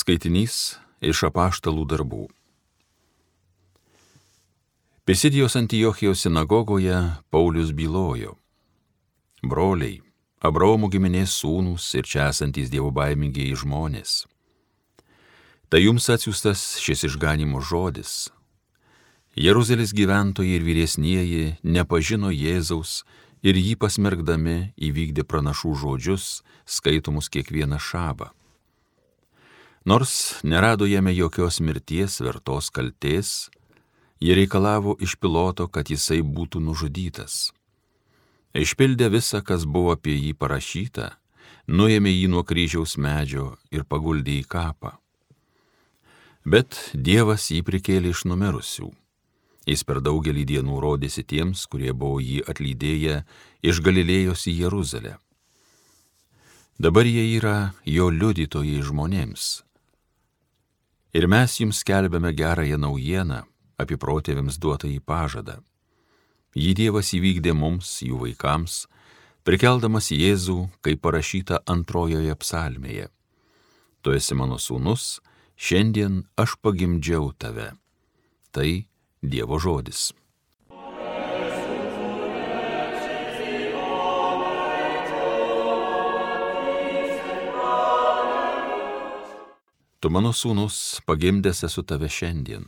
Skaitinys iš Apaštalų darbų. Pisidijos Antiochijos sinagogoje Paulius bylojo: broliai, Abraomo giminės sūnūs ir čia esantys dievobaimingieji žmonės. Tai jums atsiųstas šis išganimo žodis. Jeruzalės gyventojai ir vyresnieji nepažino Jėzaus ir jį pasmerkdami įvykdė pranašų žodžius, skaitomus kiekvieną šabą. Nors nerado jame jokios mirties vertos kaltės, jie reikalavo iš Piloto, kad jisai būtų nužudytas. Išpildė visą, kas buvo apie jį parašyta, nuėmė jį nuo kryžiaus medžio ir paguldė į kapą. Bet Dievas jį prikėlė iš numirusių. Jis per daugelį dienų rodėsi tiems, kurie buvo jį atlydėję iš Galilėjos į Jeruzalę. Dabar jie yra jo liudytojai žmonėms. Ir mes jums skelbiame gerąją naujieną apie protėviams duotąjį pažadą. Jį Dievas įvykdė mums, jų vaikams, prikeldamas Jėzų, kaip parašyta antrojoje psalmėje: tu esi mano sūnus, šiandien aš pagimdžiau tave. Tai Dievo žodis. Tu mano sūnus, pagimdęs esu tave šiandien.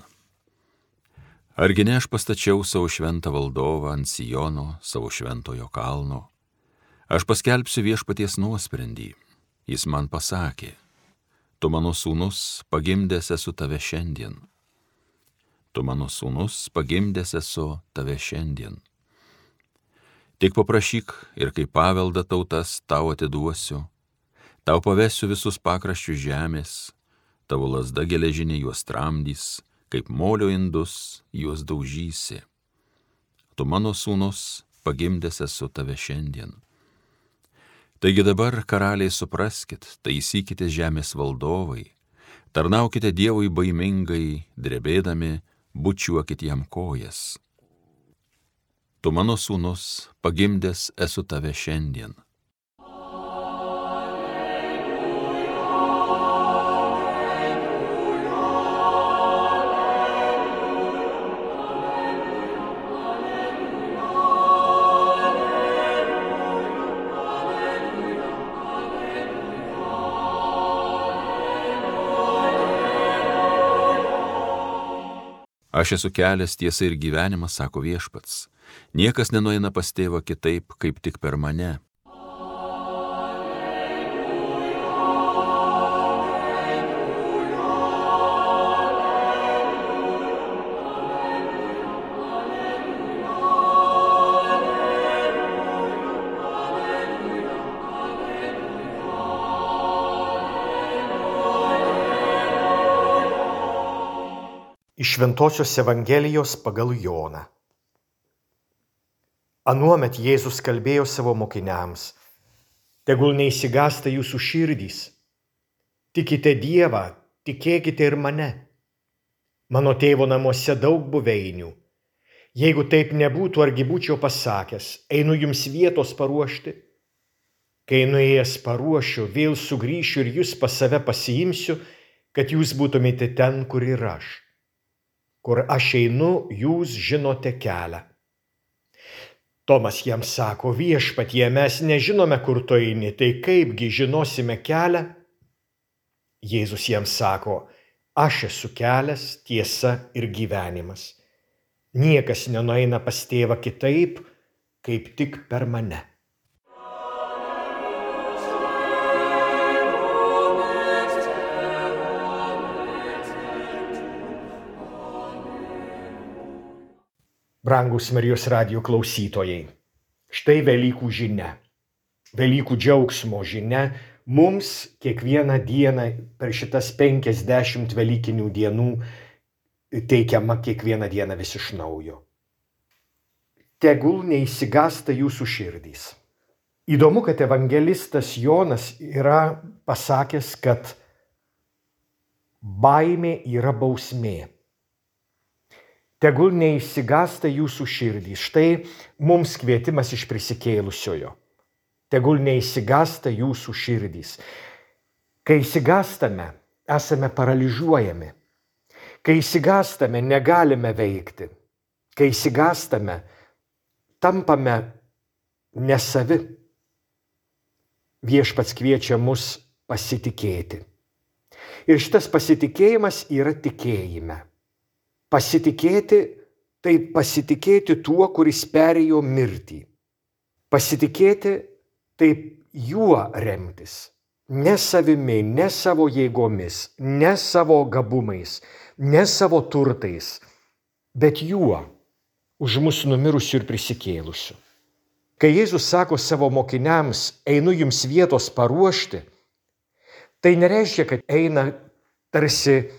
Argi ne aš pastačiau savo šventą valdovą ant Siono, savo šventojo kalno? Aš paskelbsiu viešpaties nuosprendį. Jis man pasakė: tu mano sūnus, pagimdęs esu tave šiandien. Tu mano sūnus, pagimdęs esu tave šiandien. Tik paprašyk ir kaip paveldą tautas tau atiduosiu, tau pavesiu visus pakraščius žemės, tavo lazda geležinė juos tramdys, kaip molio indus juos daužysi. Tu mano sūnus, pagimdęs esu tave šiandien. Taigi dabar, karaliai, supraskit, taisykite žemės valdovai, tarnaukite Dievui baimingai, drebėdami, bučiuokit jam kojas. Tu mano sūnus, pagimdęs esu tave šiandien. Aš esu kelias, tiesa ir gyvenimas, sako viešpats. Niekas nenueina pas tėvą kitaip, kaip tik per mane. Iš Šventosios Evangelijos pagal Joną. Anuomet Jėzus kalbėjo savo mokiniams: tegul neišsigąsta jūsų širdys. Tikite Dievą, tikėkite ir mane. Mano tėvo namuose daug buveinių. Jeigu taip nebūtų, argi būčiau pasakęs: einu jums vietos paruošti. Kai nuėjęs paruošiu, vėl sugrįšiu ir jūs pas save pasiimsiu, kad jūs būtumėte ten, kur ir aš. Kur aš einu, jūs žinote kelią. Tomas jam sako: viešpatie, mes nežinome, kur tu eini, tai kaipgi žinosime kelią? Jėzus jam sako: aš esu kelias, tiesa ir gyvenimas. Niekas nenueina pas tėvą kitaip, kaip tik per mane. Brangus Marijos radijo klausytojai, štai Velykų žinia. Velykų džiaugsmo žinia mums kiekvieną dieną per šitas 50 velykinių dienų teikiama kiekvieną dieną vis iš naujo. Tegul neišsigąsta jūsų širdys. Įdomu, kad evangelistas Jonas yra pasakęs, kad baimė yra bausmė. Tegul neišsigąsta jūsų širdys. Štai mums kvietimas iš prisikėlusiojo. Tegul neišsigąsta jūsų širdys. Kai išsigąstame, esame paralyžiuojami. Kai išsigąstame, negalime veikti. Kai išsigąstame, tampame nesavi. Viešpats kviečia mus pasitikėti. Ir šitas pasitikėjimas yra tikėjime. Pasitikėti tai pasitikėti tuo, kuris perėjo mirtį. Pasitikėti tai juo remtis. Ne savimi, ne savo jėgomis, ne savo gabumais, ne savo turtais, bet juo, už mus numirusiu ir prisikėlusiu. Kai Jėzus sako savo mokiniams, einu jums vietos paruošti, tai nereiškia, kad eina tarsi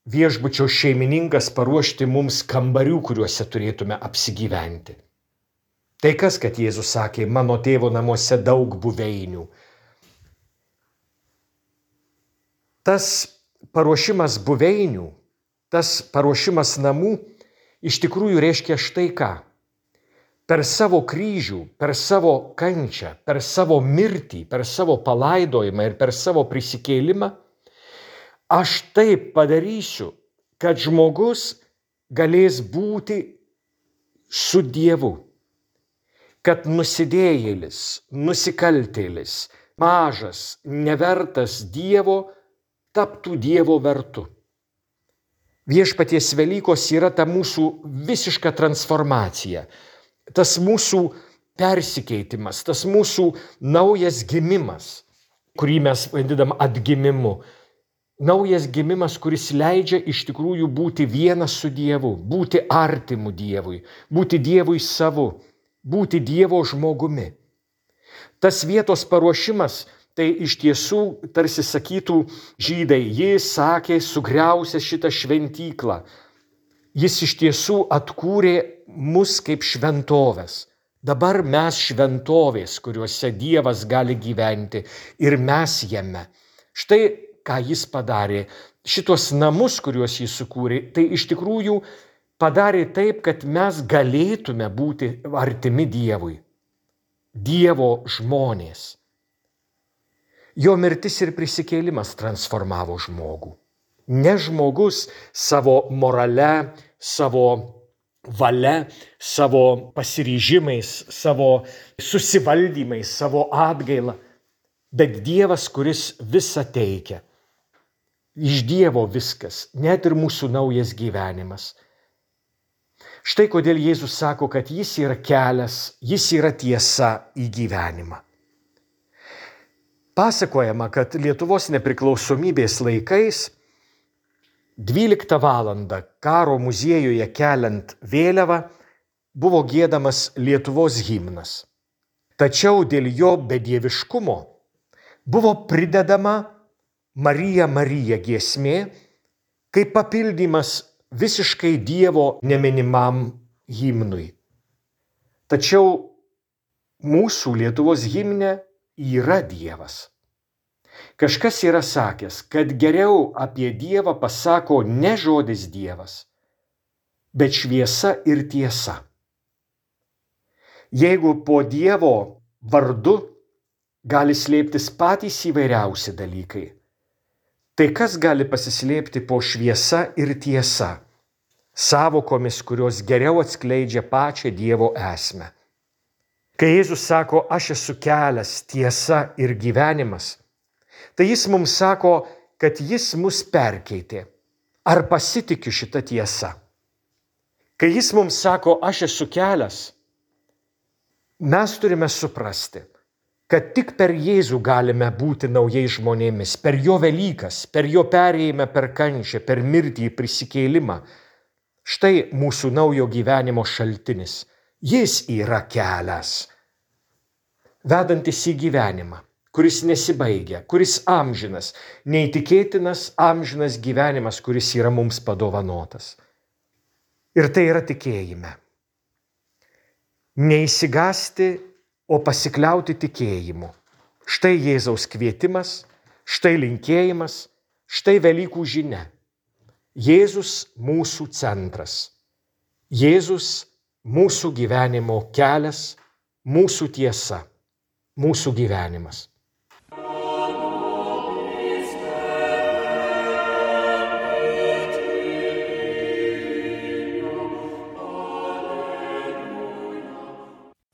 viešbučio šeimininkas paruošti mums kambarių, kuriuose turėtume apsigyventi. Tai kas, kad Jėzus sakė, mano tėvo namuose daug buveinių. Tas paruošimas buveinių, tas paruošimas namų iš tikrųjų reiškia štai ką. Per savo kryžių, per savo kančią, per savo mirtį, per savo palaidojimą ir per savo prisikėlimą, aš taip padarysiu, kad žmogus galės būti su Dievu. Kad nusidėjėlis, nusikaltėlis, mažas, nevertas Dievo, taptų Dievo vertu. Viešpaties Velykos yra ta mūsų visiška transformacija. Tas mūsų persikeitimas, tas mūsų naujas gimimas, kurį mes vadinam atgimimu. Naujas gimimas, kuris leidžia iš tikrųjų būti vienas su Dievu, būti artimu Dievui, būti Dievui savu, būti Dievo žmogumi. Tas vietos paruošimas, tai iš tiesų, tarsi sakytų žydai, jis sakė, sugriausęs šitą šventyklą. Jis iš tiesų atkūrė mus kaip šventovės. Dabar mes šventovės, kuriuose Dievas gali gyventi ir mes jame. Štai ką jis padarė. Šitos namus, kuriuos jis sukūrė, tai iš tikrųjų padarė taip, kad mes galėtume būti artimi Dievui. Dievo žmonės. Jo mirtis ir prisikėlimas transformavo žmogų. Ne žmogus savo morale, savo valia, savo pasiryžimais, savo susivaldymais, savo atgaila, bet Dievas, kuris visą teikia. Iš Dievo viskas, net ir mūsų naujas gyvenimas. Štai kodėl Jėzus sako, kad jis yra kelias, jis yra tiesa į gyvenimą. Pasakojama, kad Lietuvos nepriklausomybės laikais 12 valandą karo muziejuje keliant vėliavą buvo giedamas Lietuvos himnas. Tačiau dėl jo bedieviškumo buvo pridedama Marija, Marija giesmė, kaip papildymas visiškai Dievo neminimam himnui. Tačiau mūsų Lietuvos himne yra Dievas. Kažkas yra sakęs, kad geriau apie Dievą pasako ne žodis Dievas, bet šviesa ir tiesa. Jeigu po Dievo vardu gali slėptis patys įvairiausi dalykai, tai kas gali pasislėpti po šviesa ir tiesa, sąvokomis, kurios geriau atskleidžia pačią Dievo esmę. Kai Jėzus sako, aš esu kelias, tiesa ir gyvenimas, tai jis mums sako, kad jis mus perkeitė. Ar pasitikiu šitą tiesą? Kai jis mums sako, aš esu kelias, mes turime suprasti, kad tik per Jėzų galime būti naujais žmonėmis, per jo Velykas, per jo perėjimą per kančią, per mirtį, prisikėlimą. Štai mūsų naujo gyvenimo šaltinis. Jis yra kelias, vedantis į gyvenimą, kuris nesibaigia, kuris amžinas, neįtikėtinas amžinas gyvenimas, kuris yra mums padovanotas. Ir tai yra tikėjime. Neįsigąsti, o pasikliauti tikėjimu. Štai Jėzaus kvietimas, štai linkėjimas, štai Velykų žinia. Jėzus mūsų centras. Jėzus mūsų gyvenimo kelias, mūsų tiesa, mūsų gyvenimas.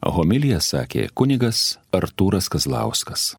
Homiliją sakė kunigas Artūras Kazlauskas.